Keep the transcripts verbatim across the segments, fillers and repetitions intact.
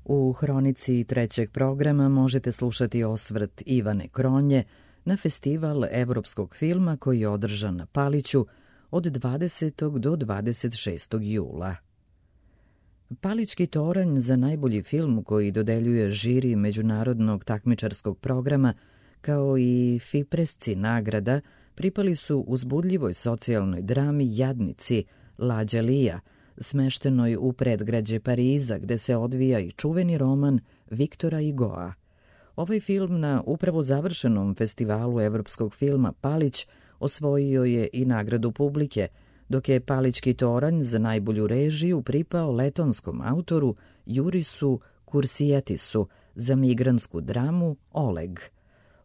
U hronici trećeg programa možete slušati osvrt Ivane Kronje na festival evropskog filma koji je održan na Paliću od dvadesetog do dvadeset šestog jula. Palićki toranj za najbolji film koji dodeljuje žiri međunarodnog takmičarskog programa, kao i Fipresci nagrada, pripali su uzbudljivoj socijalnoj drami Jadnici Lađa Lija, smeštenoj u predgrađe Pariza, gde se odvija i čuveni roman Viktora Hugoa. Ovaj film na upravo završenom festivalu evropskog filma Palić osvojio je i nagradu publike, dok je Palićki toranj za najbolju režiju pripao letonskom autoru Jurisu Kursietisu za migrantsku dramu Oleg.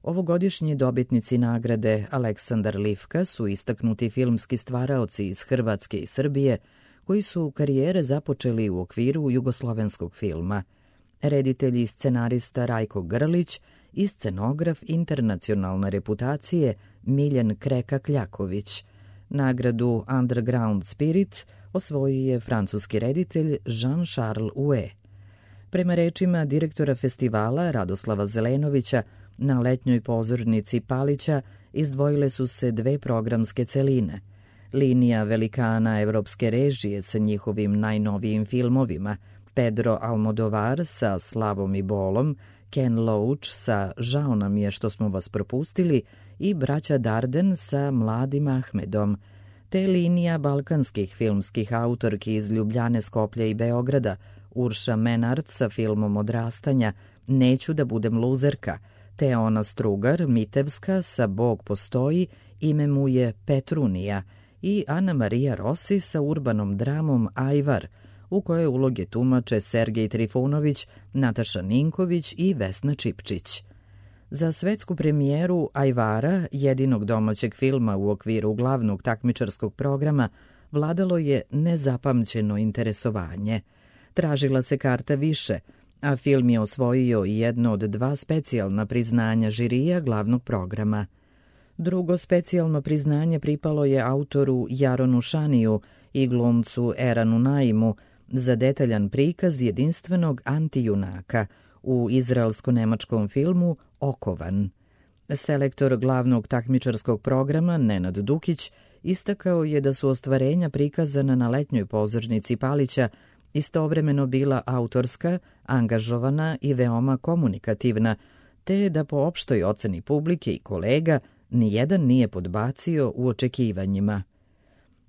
Ovogodišnji dobitnici nagrade Aleksandar Livka su istaknuti filmski stvaraoci iz Hrvatske i Srbije, koji su karijere započeli u okviru jugoslovenskog filma. Reditelj i scenarista Rajko Grlić i scenograf internacionalne reputacije Miljen Kreka-Kljaković. Nagradu Underground Spirit osvojio je francuski reditelj Jean-Charles Houet. Prema rečima direktora festivala Radoslava Zelenovića, na letnjoj pozornici Palića izdvojile su se dve programske celine. Linija velikana evropske režije sa njihovim najnovijim filmovima, Pedro Almodovar sa Slavom i bolom, Ken Loach sa Žao nam je što smo vas propustili i braća Darden sa Mladim Ahmedom, te linija balkanskih filmskih autorki iz Ljubljane, Skoplja i Beograda, Urša Menard sa filmom Odrastanja Neću da budem luzerka, te Ona Strugar, Mitevska sa Bog postoji, ime mu je Petrunija, i Ana Marija Rossi sa urbanom dramom Ajvar, u kojoj uloge tumače Sergej Trifunović, Nataša Ninković i Vesna Čipčić. Za svetsku premijeru Ajvara, jedinog domaćeg filma u okviru glavnog takmičarskog programa, vladalo je nezapamćeno interesovanje. Tražila se karta više, a film je osvojio i jedno od dva specijalna priznanja žirija glavnog programa. Drugo specijalno priznanje pripalo je autoru Jaronu Šaniju i glumcu Eranu Naimu za detaljan prikaz jedinstvenog antijunaka u izraelsko-nemačkom filmu Okovan. Selektor glavnog takmičarskog programa Nenad Dukić istakao je da su ostvarenja prikazana na letnjoj pozornici Palića istovremeno bila autorska, angažovana i veoma komunikativna, te da po opštoj oceni publike i kolega nijedan nije podbacio u očekivanjima.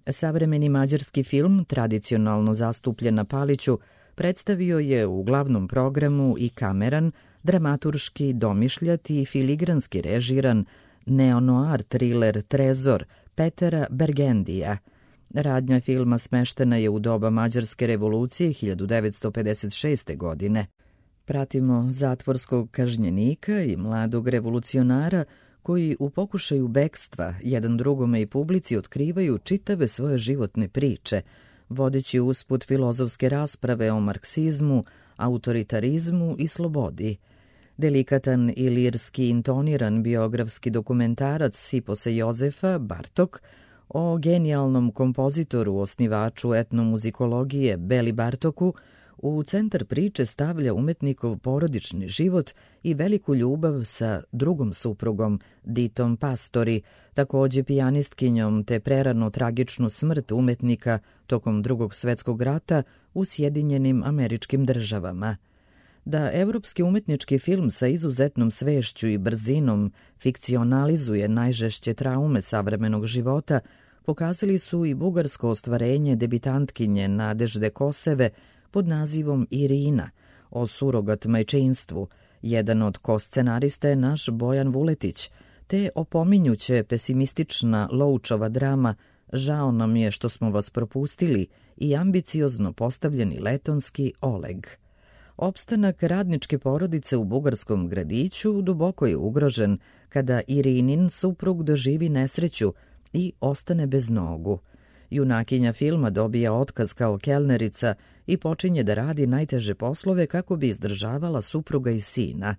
Savremeni mađarski film, tradicionalno zastupljen na Paliću, predstavio je u glavnom programu i kameran, dramaturški, domišljat i filigranski režiran neonoir thriller Trezor Petera Bergendija. Radnja filma smeštena je u doba Mađarske revolucije hiljadu devetsto pedeset šeste. godine. Pratimo zatvorskog kažnjenika i mladog revolucionara koji u pokušaju bekstva jedan drugome i publici otkrivaju čitave svoje životne priče, vodeći usput filozofske rasprave o marksizmu, autoritarizmu i slobodi. Delikatan i lirski intoniran biografski dokumentarac Siposa Jozefa Bartok o genijalnom kompozitoru, osnivaču etnomuzikologije Beli Bartoku, u centar priče stavlja umetnikov porodični život i veliku ljubav sa drugom suprugom, Ditom Pastori, takođe pijanistkinjom, te prerano tragičnu smrt umetnika tokom Drugog svetskog rata u Sjedinjenim Američkim Državama. Da evropski umetnički film sa izuzetnom svešću i brzinom fikcionalizuje najžešće traume savremenog života, pokazali su i bugarsko ostvarenje debitantkinje Nadežde Koseve pod nazivom Irina, o surogat majčinstvu. Jedan od ko-scenarista je naš Bojan Vuletić, te opominjuće pesimistična Loučova drama Žao nam je što smo vas propustili i ambiciozno postavljeni letonski Oleg. Opstanak radničke porodice u bugarskom gradiću duboko je ugrožen kada Irinin suprug doživi nesreću i ostane bez nogu. Junakinja filma dobija otkaz kao kelnerica i počinje da radi najteže poslove kako bi izdržavala supruga i sina.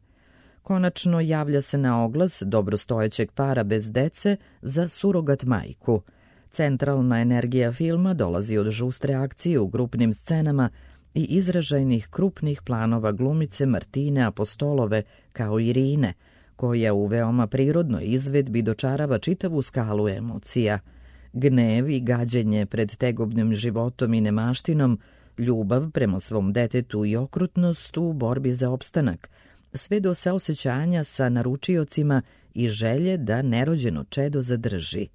Konačno javlja se na oglas dobrostojećeg para bez dece za surogat majku. Centralna energija filma dolazi od žustre akcije u grupnim scenama, i izražajnih krupnih planova glumice Martine Apostolove kao Irine, koja u veoma prirodnoj izvedbi dočarava čitavu skalu emocija. Gnev i gađenje pred tegobnim životom i nemaštinom, ljubav prema svom detetu i okrutnost u borbi za opstanak, sve do saosećanja sa naručiocima i želje da nerođeno čedo zadrži.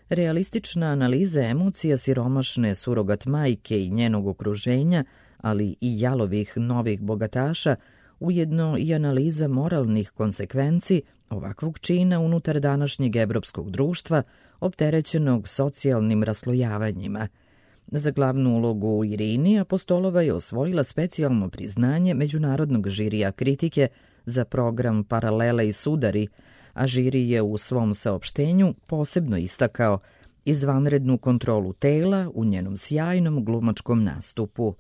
Realistična analiza emocija siromašne surogat majke i njenog okruženja, ali i jalovih novih bogataša, ujedno i analiza moralnih konsekvenci ovakvog čina unutar današnjeg evropskog društva, opterećenog socijalnim raslojavanjima. Za glavnu ulogu u Irini Apostolova je osvojila specijalno priznanje Međunarodnog žirija kritike za program Paralele i sudari, a žiri je u svom saopštenju posebno istakao izvanrednu kontrolu tela u njenom sjajnom glumačkom nastupu.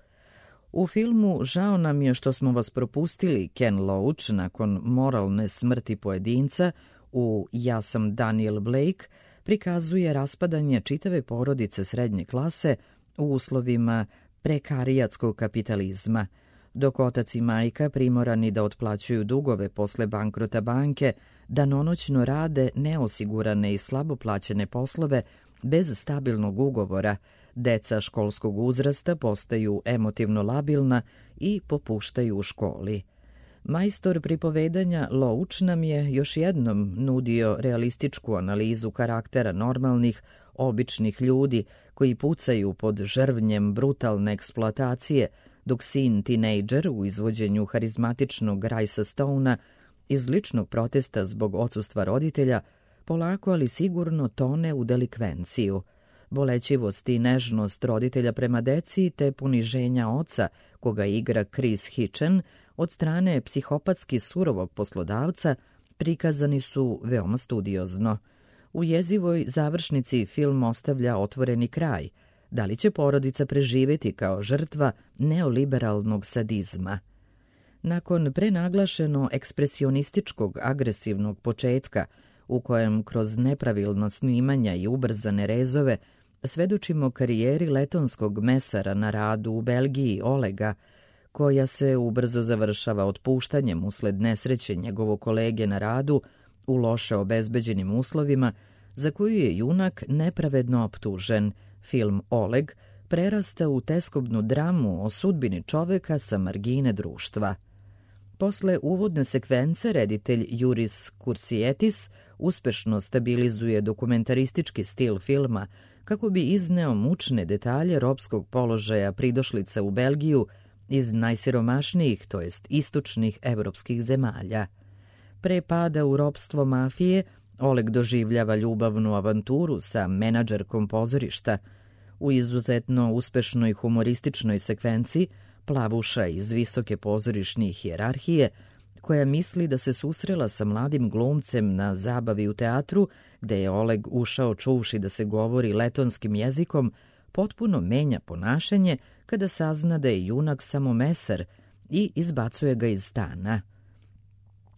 U filmu Žao nam je što smo vas propustili Ken Loach nakon moralne smrti pojedinca u Ja sam Daniel Blake prikazuje raspadanje čitave porodice srednje klase u uslovima prekarijatskog kapitalizma, dok otac i majka primorani da otplaćuju dugove posle bankrota banke, danonoćno rade neosigurane i slabo plaćene poslove bez stabilnog ugovora, deca školskog uzrasta postaju emotivno labilna i popuštaju u školi. Majstor pripovedanja Loach nam je još jednom nudio realističku analizu karaktera normalnih, običnih ljudi koji pucaju pod žrvnjem brutalne eksploatacije, dok sin tinejdžer u izvođenju harizmatičnog Rajsa Stouna iz ličnog protesta zbog odsustva roditelja polako ali sigurno tone u delikvenciju. Bolećivost i nežnost roditelja prema deci te poniženja oca, koga igra Chris Hitchen, od strane psihopatski surovog poslodavca, prikazani su veoma studiozno. U jezivoj završnici film ostavlja otvoreni kraj. Da li će porodica preživjeti kao žrtva neoliberalnog sadizma? Nakon prenaglašeno ekspresionističkog agresivnog početka, u kojem kroz nepravilna snimanja i ubrzane rezove svedočimo karijeri letonskog mesara na radu u Belgiji Olega, koja se ubrzo završava otpuštanjem usled nesreće njegovog kolege na radu u loše obezbeđenim uslovima, za koju je junak nepravedno optužen, film Oleg prerasta u teskobnu dramu o sudbini čoveka sa margine društva. Posle uvodne sekvence reditelj Juris Kursietis uspešno stabilizuje dokumentaristički stil filma kako bi izneo mučne detalje ropskog položaja pridošlica u Belgiju iz najsiromašnijih, to jest istočnih evropskih zemalja. Pre pada u ropstvo mafije, Oleg doživljava ljubavnu avanturu sa menadžerkom pozorišta. U izuzetno uspešnoj humorističnoj sekvenciji plavuša iz visoke pozorišne hijerarhije, koja misli da se susrela sa mladim glumcem na zabavi u teatru, gde je Oleg ušao čuvši da se govori letonskim jezikom, potpuno menja ponašanje kada sazna da je junak samo mesar i izbacuje ga iz stana.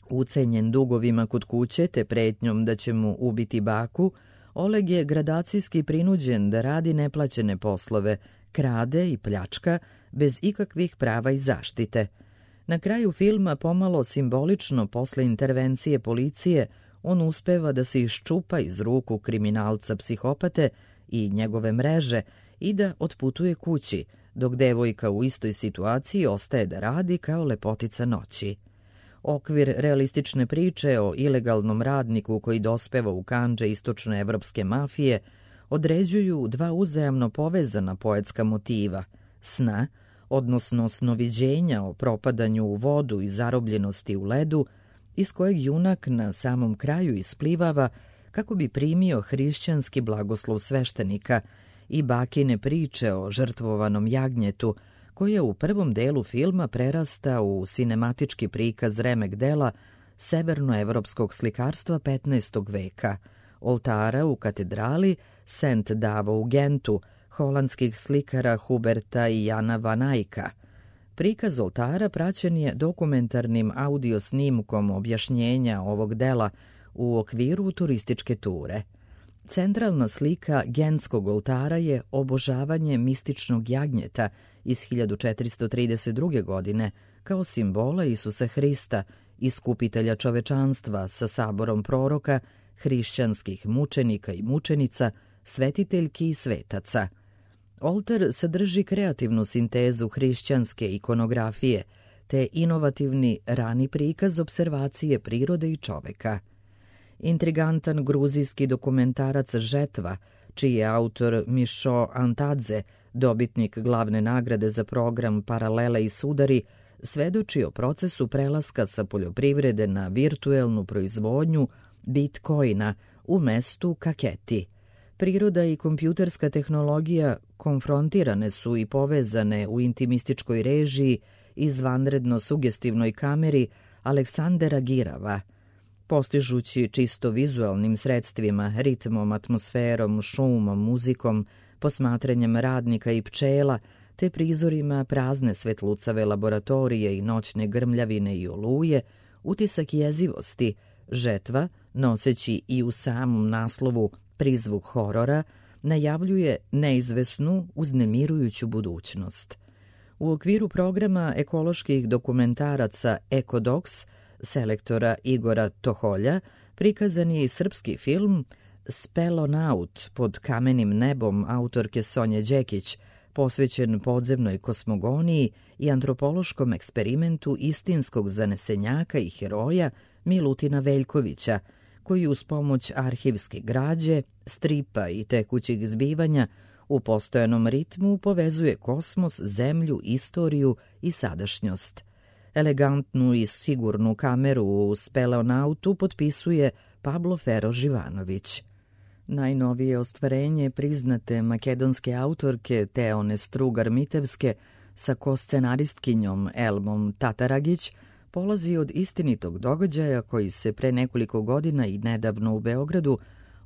Ucenjen dugovima kod kuće te pretnjom da će mu ubiti baku, Oleg je gradacijski prinuđen da radi neplaćene poslove, krade i pljačka bez ikakvih prava i zaštite. Na kraju filma, pomalo simbolično posle intervencije policije, on uspeva da se iščupa iz ruku kriminalca psihopate i njegove mreže i da otputuje kući, dok devojka u istoj situaciji ostaje da radi kao lepotica noći. Okvir realistične priče o ilegalnom radniku koji dospeva u kandže istočnoevropske mafije određuju dva uzajamno povezana poetska motiva, sna, odnosno snoviđenja o propadanju u vodu i zarobljenosti u ledu, iz kojeg junak na samom kraju isplivava kako bi primio hrišćanski blagoslov sveštenika, i bakine priče o žrtvovanom jagnjetu, koja u prvom delu filma prerasta u sinematički prikaz remek dela severnoevropskog slikarstva petnaestog veka, oltara u katedrali Saint Davo u Gentu, holandskih slikara Huberta i Jana van Eycka. Prikaz oltara praćen je dokumentarnim audio snimkom objašnjenja ovog dela u okviru turističke ture. Centralna slika Gentskog oltara je obožavanje mističnog jagnjeta iz hiljadu četiristo trideset druge. godine kao simbola Isusa Hrista, iskupitelja čovečanstva sa saborom proroka, hrišćanskih mučenika i mučenica, svetiteljki i svetaca. Oltar sadrži kreativnu sintezu hrišćanske ikonografije te inovativni rani prikaz observacije prirode i čoveka. Intrigantan gruzijski dokumentarac Žetva, čiji je autor Mišo Antadze, dobitnik glavne nagrade za program Paralele i sudari, svedoči o procesu prelaska sa poljoprivrede na virtuelnu proizvodnju bitcoina u mestu Kaketi. Priroda i kompjuterska tehnologija konfrontirane su i povezane u intimističkoj režiji izvanredno sugestivnoj kameri Aleksandera Girava, postižući čisto vizualnim sredstvima, ritmom, atmosferom, šumom, muzikom, posmatranjem radnika i pčela, te prizorima prazne svetlucave laboratorije i noćne grmljavine i oluje, utisak jezivosti, Žetva, noseći i u samom naslovu prizvuk horora, najavljuje neizvesnu, uznemirujuću budućnost. U okviru programa ekoloških dokumentaraca Ekodoks, selektora Igora Toholja, prikazan je i srpski film Spelonaut pod kamenim nebom autorke Sonje Đekić, posvećen podzemnoj kosmogoniji i antropološkom eksperimentu istinskog zanesenjaka i heroja Milutina Veljkovića, koji uz pomoć arhivske građe, stripa i tekućih zbivanja u postojanom ritmu povezuje kosmos, zemlju, istoriju i sadašnjost. Elegantnu i sigurnu kameru u Speleonautu potpisuje Pablo Fero Živanović. Najnovije ostvarenje priznate makedonske autorke Teone Strugar-Mitevske sa koscenaristkinjom Elmom Tataragić polazi od istinitog događaja koji se pre nekoliko godina i nedavno u Beogradu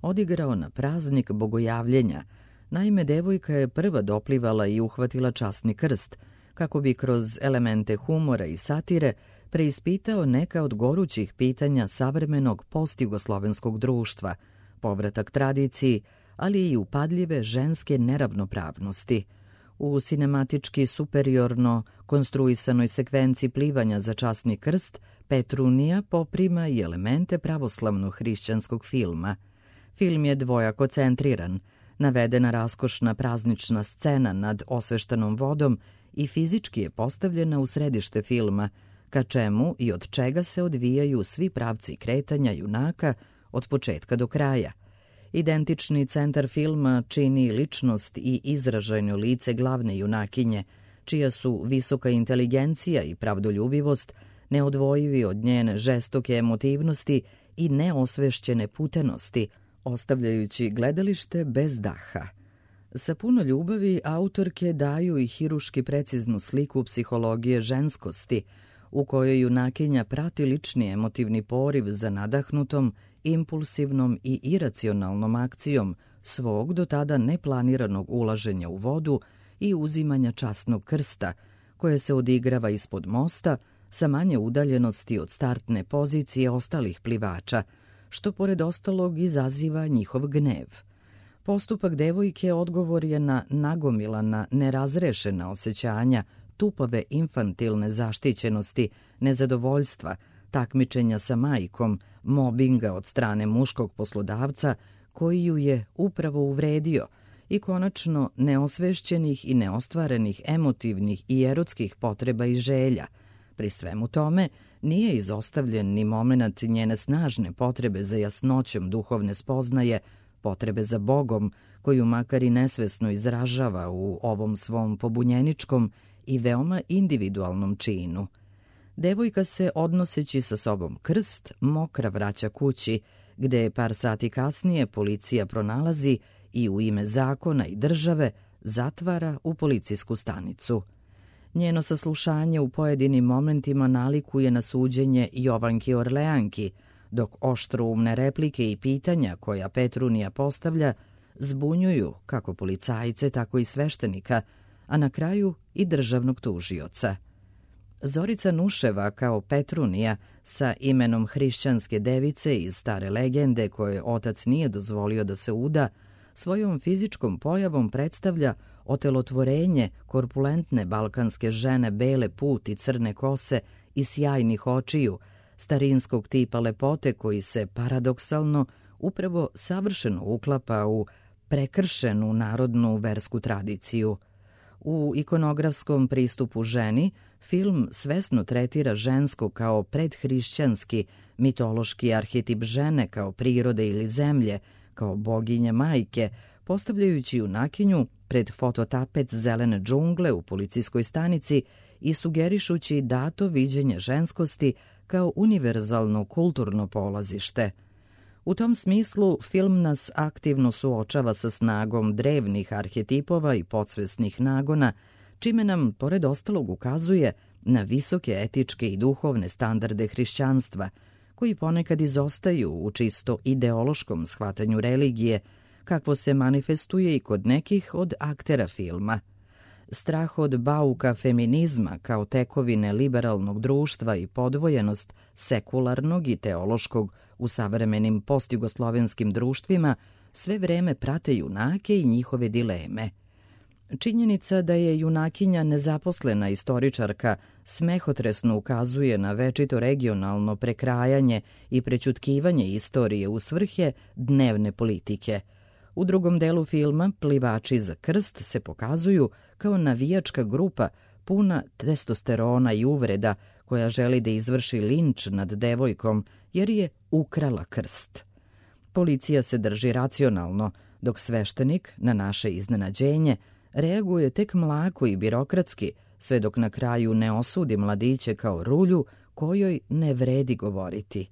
odigrao na praznik Bogojavljenja. Naime, devojka je prva doplivala i uhvatila časni krst, kako bi kroz elemente humora i satire preispitao neka od gorućih pitanja savremenog postjugoslovenskog društva, povratak tradiciji, ali i upadljive ženske neravnopravnosti. U sinematički superiorno konstruisanoj sekvenciji plivanja za časni krst, Petrunija poprima i elemente pravoslavno-hrišćanskog filma. Film je dvojako centriran, navedena raskošna praznična scena nad osveštanom vodom i fizički je postavljena u središte filma, ka čemu i od čega se odvijaju svi pravci kretanja junaka od početka do kraja. Identični centar filma čini ličnost i izražajno lice glavne junakinje, čija su visoka inteligencija i pravdoljubivost neodvojivi od njene žestoke emotivnosti i neosvešćene putenosti, ostavljajući gledalište bez daha. Sa puno ljubavi autorke daju i hiruški preciznu sliku psihologije ženskosti, u kojoj junakinja prati lični emotivni poriv za nadahnutom, impulsivnom i iracionalnom akcijom svog do tada neplaniranog ulaženja u vodu i uzimanja časnog krsta, koje se odigrava ispod mosta sa manje udaljenosti od startne pozicije ostalih plivača, što pored ostalog izaziva njihov gnev. Postupak devojke odgovor je na nagomilana, nerazrešena osjećanja, tupave infantilne zaštićenosti, nezadovoljstva, takmičenja sa majkom, mobinga od strane muškog poslodavca koji ju je upravo uvredio i konačno neosvešćenih i neostvarenih emotivnih i erotskih potreba i želja. Pri svemu tome nije izostavljen ni moment njene snažne potrebe za jasnoćom duhovne spoznaje, potrebe za Bogom, koju makar i nesvesno izražava u ovom svom pobunjeničkom i veoma individualnom činu. Devojka se, odnoseći sa sobom krst, mokra vraća kući, gde par sati kasnije policija pronalazi i u ime zakona i države zatvara u policijsku stanicu. Njeno saslušanje u pojedinim momentima nalikuje na suđenje Jovanki Orleanki, dok oštroumne replike i pitanja koja Petrunija postavlja zbunjuju kako policajce, tako i sveštenika, a na kraju i državnog tužioca. Zorica Nuševa kao Petrunija sa imenom hrišćanske device iz stare legende koje otac nije dozvolio da se uda, svojom fizičkom pojavom predstavlja otelotvorenje korpulentne balkanske žene bele puti, crne kose i sjajnih očiju, starinskog tipa lepote koji se paradoksalno upravo savršeno uklapa u prekršenu narodnu versku tradiciju. U ikonografskom pristupu ženi, film svesno tretira žensko kao predhrišćanski, mitološki arhetip žene kao prirode ili zemlje, kao boginje majke, postavljajući junakinju pred fototapet zelene džungle u policijskoj stanici i sugerišući dato viđenje ženskosti kao univerzalno kulturno polazište. U tom smislu, film nas aktivno suočava sa snagom drevnih arhetipova i podsvesnih nagona, čime nam, pored ostalog, ukazuje na visoke etičke i duhovne standarde hrišćanstva, koji ponekad izostaju u čisto ideološkom shvatanju religije, kakvo se manifestuje i kod nekih od aktera filma. Strah od bauka feminizma kao tekovine liberalnog društva i podvojenost sekularnog i teološkog u savremenim postjugoslovenskim društvima sve vreme prate junake i njihove dileme. Činjenica da je junakinja nezaposlena istoričarka smehotresno ukazuje na večito regionalno prekrajanje i prećutkivanje istorije u svrhe dnevne politike. U drugom delu filma Plivači za krst se pokazuju kao navijačka grupa puna testosterona i uvreda koja želi da izvrši linč nad devojkom jer je ukrala krst. Policija se drži racionalno, dok sveštenik, na naše iznenađenje, reaguje tek mlako i birokratski, sve dok na kraju ne osudi mladiće kao rulju kojoj ne vredi govoriti.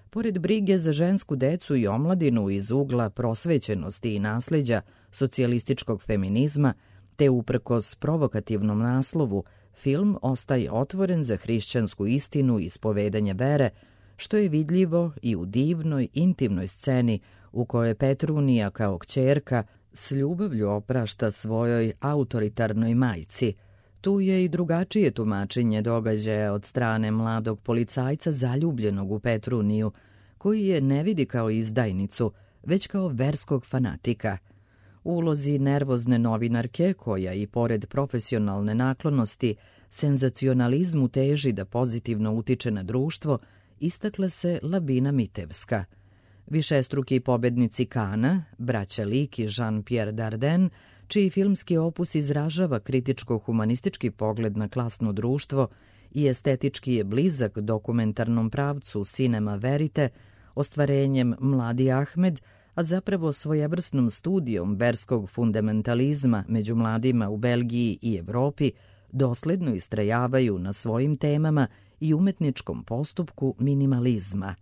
Pored brige za žensku decu i omladinu iz ugla prosvećenosti i nasleđa socijalističkog feminizma, te uprkos provokativnom naslovu, film ostaje otvoren za hrišćansku istinu i ispovedanje vere, što je vidljivo i u divnoj, intimnoj sceni u kojoj Petrunija kao kćerka s ljubavlju oprašta svojoj autoritarnoj majci. Tu je i drugačije tumačenje događaja od strane mladog policajca zaljubljenog u Petruniju, koji je ne vidi kao izdajnicu, već kao verskog fanatika. U ulozi nervozne novinarke, koja i pored profesionalne naklonosti senzacionalizmu teži da pozitivno utiče na društvo, istakla se Labina Mitevska. Višestruki pobednici Kana, braća Lik i Jean-Pierre Dardenne, čiji filmski opus izražava kritičko-humanistički pogled na klasno društvo i estetički je blizak dokumentarnom pravcu Cinema Verite, ostvarenjem Mladi Ahmed, a zapravo svojevrsnom studijom verskog fundamentalizma među mladima u Belgiji i Evropi, dosledno istrajavaju na svojim temama i umetničkom postupku minimalizma.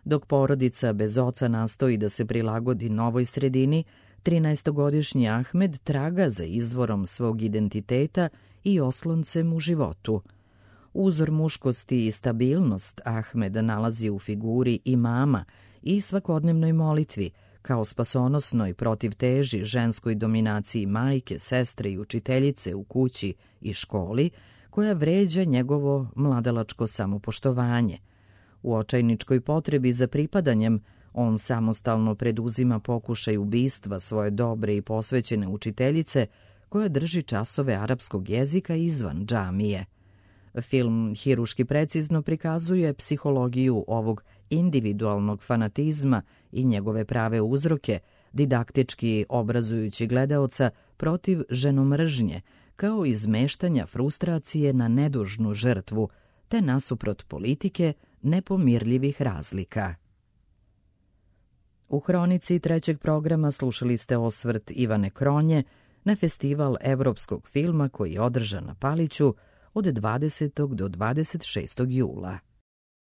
Dok porodica bez oca nastoji da se prilagodi novoj sredini, trinaestogodišnji Ahmed traga za izvorom svog identiteta i osloncem u životu. Uzor muškosti i stabilnost Ahmed nalazi u figuri imama i svakodnevnoj molitvi, kao spasonosnoj protivteži ženskoj dominaciji majke, sestre i učiteljice u kući i školi, koja vređa njegovo mladalačko samopoštovanje. U očajničkoj potrebi za pripadanjem, on samostalno preduzima pokušaj ubistva svoje dobre i posvećene učiteljice, koja drži časove arapskog jezika izvan džamije. Film hiruški precizno prikazuje psihologiju ovog individualnog fanatizma i njegove prave uzroke, didaktički obrazujući gledaoca protiv ženomržnje, kao izmeštanja frustracije na nedužnu žrtvu, te nasuprot politike nepomirljivih razlika. U hronici trećeg programa slušali ste osvrt Ivane Kronje na festival evropskog filma koji je održan na Paliću od dvadesetog do dvadeset šestog jula.